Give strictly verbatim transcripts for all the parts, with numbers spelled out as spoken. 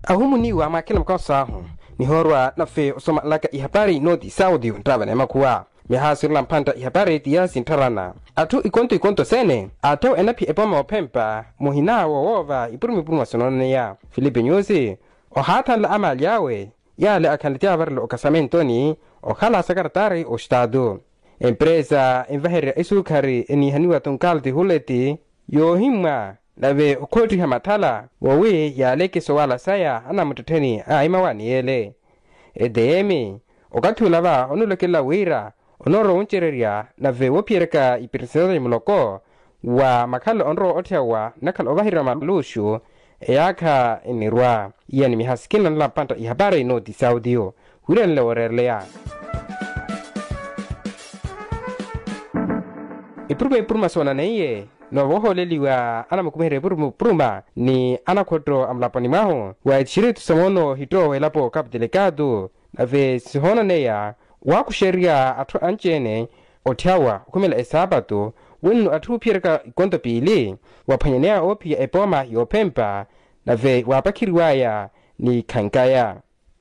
Ahumuniwa mwakhela mukaso ahu nihoorwa nafe osomalaka ihapari nooti saudio nttavana emakhuwa. Mihaasi olela mphantta ihapari ti yaasi nttharana atthu ikonto ikonto seene aatthewa enaphiya epooma yoophempa muhina wowoova ipuruma ipuruma sonoonaneya filipe nyusi ohaathanla amaali awe. Yaale akhanle ti avarela okasamentoni okhala sakaratari ostaatu empresa envahererya esukhari eniihaniwa tunkalti huleti yoohimmwa nave okhoottiha mathala voowi yaaleke sowala saya anamuttettheni a imawaani yeele. Etm okathi ula va onulekelela wira onoorowa wuncererya nave woophiyeryaka ipirisitali muloko wa makhalelo onrowa otthewa nnakhala ovaheriwa maluxu eyaakha enirwa. Iya ni mihasikina nala mpantta ihapari nooti saudio wiiranile wooreereleya ipuruma ipuruma soonaneiye. Noovoohooleliwa anamukumiherya ipuruma ipuruma ni anakhotto a mulaponi mwahu wa etistritu sa moono hitto w'elapo capu delegado nave sihoonaneya waakuxerya atthu anci-ene otthyawa okhumela esaapatu wenno atthu oophiyeryaka ikonto piili waphwanyaneya oophiya epooma yoophempa nave waapakheriwaya ni khankaya.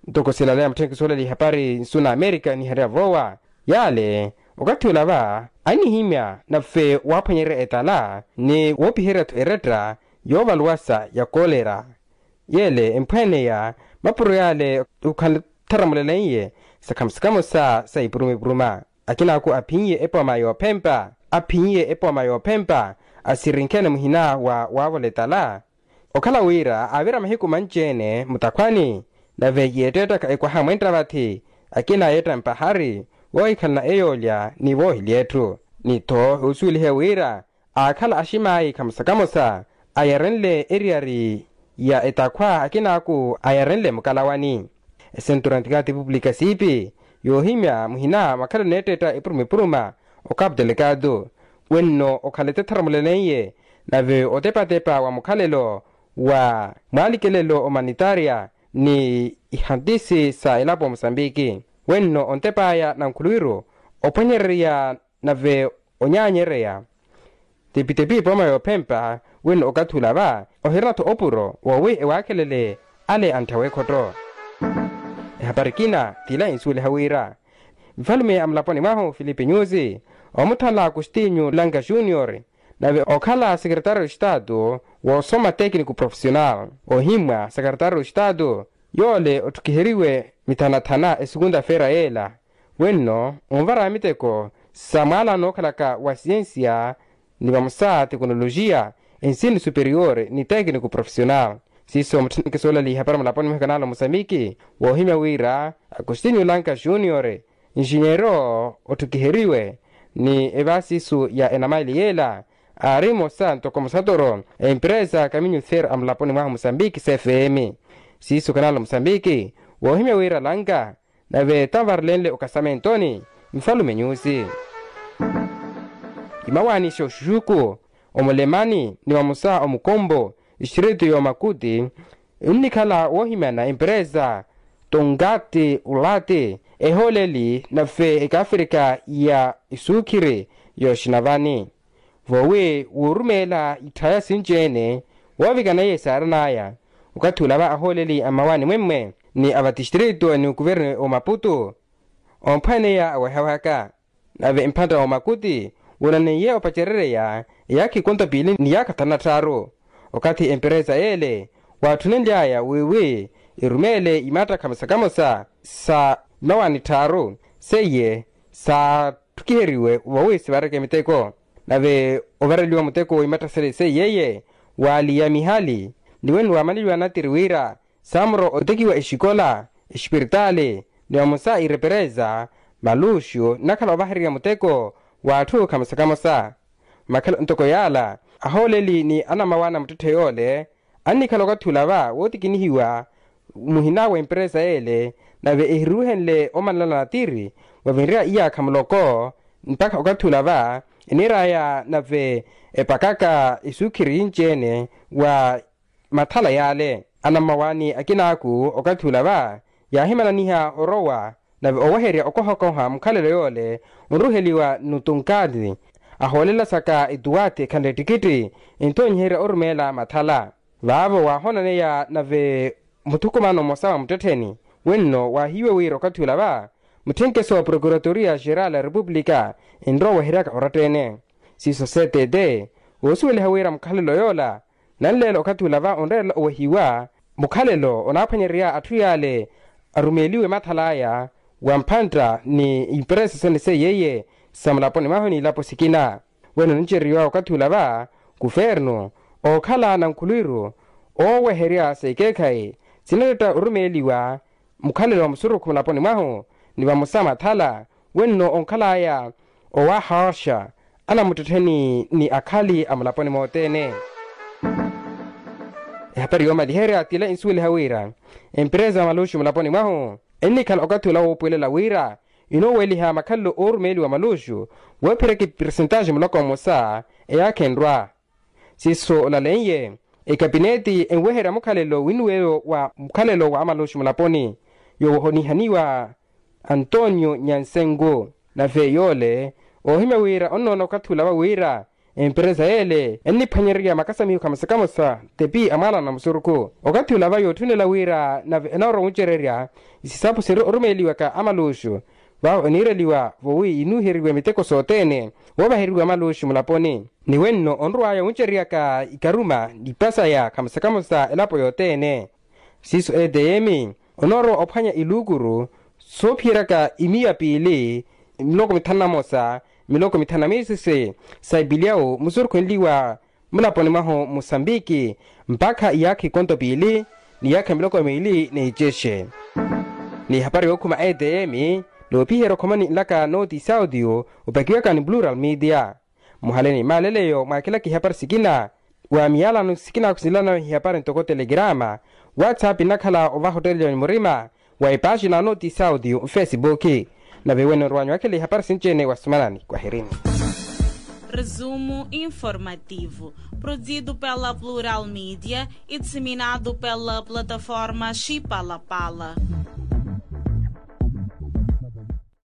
Ntoko silaleya mutthenkisi olaleya ihapari nsu na amerika niharya voowa yaale okathi ula va annihimya nave waaphwanyerya etala ni woopiherya-tho eretta yoovaluwasa ya kolera. Yeele emphwaaneya mapuro yaale okhanle ttharamuleleiye sakhamo sakhamo sa sa ipuruma ipuruma akinaaku aphin'iye epooma yoophempa aphin'iye epooma yoophempa asirinkhe-ene muhina wa waavola etala. Okhala wira aavira mahiku manci-ene mutakhwani nave yeetteettaka ekwaha mwentta vathi akina yeetta mpahari voohikhalana eyoolya ni voohilya etthu ni-tho osuwelihe wira aakhala aximaayi khamosa khamosa ayarenle eriyari ya etakhwa akinaaku ayarenle mukalawani. Esentura ntikati pupulika siipi yoohimya muhina makhalelo neetteetta epuruma epuruma okapu telekatu wenno okhala etettharamuleleiye nave otepatepa wa mukhalelo wa mwaalikelelo omanitaria ni ihantisi sa elapo musambiki wenno ontepaya na nkhuluwiru ophwanyererya nave onyaanyereya tepi-tepi epooma yoophempa wenno okathi ula va ohirina-tho opuro wowi ewaakhelele ale antthawa ekhotto. Ehapari ekina t'ila ensuweliha wira nfalume a mulaponi mwahu filipe nyusi omuthanla agostinho langa junior nave okhala sekeretario estatu woosoma tekiniku profesional ohimmwa sekeretario estatu yoole otthukiheriwe mithanathana esukunta feera yeela wenno onvara miteko sa mwaala nookhalaka wa siyensiya ni vamosa tekonolojiya ensini superior ni tekiniku profesional. Siiso mutthunike soolala ihapari mulaponi mwehe kanaala omusambiki woohimya wira agostinho langa junior nxinyeero otthukiheriwe ni evaasisu ya enamaili yeela aari mmosa ntoko musatoro a empresa kaminyu ther a mulaponi mwahu musambiki cfm. Siiso kanaala omusambiki woohimya wira langa nave tanvarelenle okasamentoni nfalume nyusi imawaani xa oxuxuku omulemani ni vamosa omukombo distritu y'omakuti nnikhala woohimyana empresa tonkati ulati ehooleli nave ekaafrika ya esuukhiri y'oxinavani voowi wuurumeela itthaya sinci-ene woovikana iye saaran'aya okathi ula va ahooleli a mmawaani mwemmwe ni a vatistritu ni okuvernu omaputu omphaneya awehawehaka nave mphantta woomakuti woonaneiye opacerereya eyaakha ikonto piili ni yaakha thanu na tthaaru okathi emperesa yeele waatthunenly'aya wiiwi erumeele imatta kamosa kamosa sa mmawaani tthaaru seiye saatthukhiheriwe voowi sivareke miteko nave ovareliwa muteko w'imatta seiye iye waaliya mihali ni wene waamaneliwa natiri wira saamuro otekiwa exikola exipiritaali ni vamosa irepereza maluxu nnakhala ovahererya muteko w'atthu khamosa khamosa. Makhala ntoko yaala ahooleli ni anamawaana muttetthe yoole annikhala okathi ula va wootikinihiwa muhina w'emperesa yeele nave ehiruruhenle omanlala natiri wavinrya iyaakha muloko mpakha okathi ula va eniir'aya nave epakaka esuukhiri yinci-ene wa mathala yaale anammawaani akinaaku okathi ula va yaahimananiha orowa nave oweherya okohakoha mukhalelo yoole onruheliwa n'utunkaati ahoolelasaka etuwaathi ekhanle ettikitthi enthonyiherya orumeela mathala vaavo waahoonaneya nave muthukumano mmosa wa muttettheni. Wenno waahiiwe wira okathi ula va mutthenkeso wa procuratoria geral ya repupulika enrowa oweheryaka oratta-ene. Siiso seetete oosuweliha wira mukhalelo yoola nanleela okathi ula va onreerela owehiwa mukhalelo onaaphwanyererya atthu yaale arumeeliwe mathal'aya wa mphantta ni imperesa sene seiyeiye sa mulaponi mwahu n'ilapo sikina. Weno nincereriwa okathi ula va kufernu ookhala na nkhulwiru ooweherya sa ekeekhayi sinaretta orumeeliwa mukhalelo wa musurukhu mulaponi mwahu ni vamosa mathala wenno onkhal'aya owahaaxa anamuttettheni ni akhali a mulaponi mothene. Ehapari yoomaliherya t'ila insuweliha wira emperesa ya maluxu mulaponi mwahu ennikhala okathi ula woopuwelela wira inooweliha makhalelo oorumeeliwa maluxu woophiraka epersentaxe muloko mmosa eyaakha enrwa. Siiso olaleiye ekapineti enweherya mukhalelo winnuweyo wa mukhalelo wa amaluxu mulaponi yoohonihaniwa antonio nyansengu. Nave yoole oohimya wira onnoona okathi ula va wira emperesa yeele enniphwanyererya makasamiho kamosa kamosa tepi a mwaalano na musurukhu okathi ula va yootthunela wira nave enoorwa wuncererya isisapo sinri orumeeliwaka amaluxu vaavo eniireliwa vowi yinuuheriwe miteko sothene woovaheriwa maluxu mulaponi ni wenno onrw'aya wuncereryaka ikaruma nipasaya kamosa kamosa elapo yothene. Siiso eteyemi onoorowa ophwanya iluukuru soophiyeryaka imiya piili miloko mithanu na mosa miloko mithanu na miisisi sa ipilyawu musurukhenliwa mulaponi mwahu musambiki mpakha iyaakha ikonto piili ni iyaakha miloko miili n'icexe. N'ihapari yookhuma eteyemi noopiherya okhomani nlaka nooti sautiyu opakiwaka ni plural media muhale ni maaleleyo mwaakilaka ihapari sikina wa miyalano sikina khusilana ihapari ntoko telegrama whatsapp inakhala ovaha ottelelya ni murima wa epaaxina nooti sautiyu nfesibuki. Nave wene orwanyu wakhela ihapari sinci-ene wa sumanani kwahirini. Resumo informativo produzido pela plural media e disseminado pela plataforma xipalapala.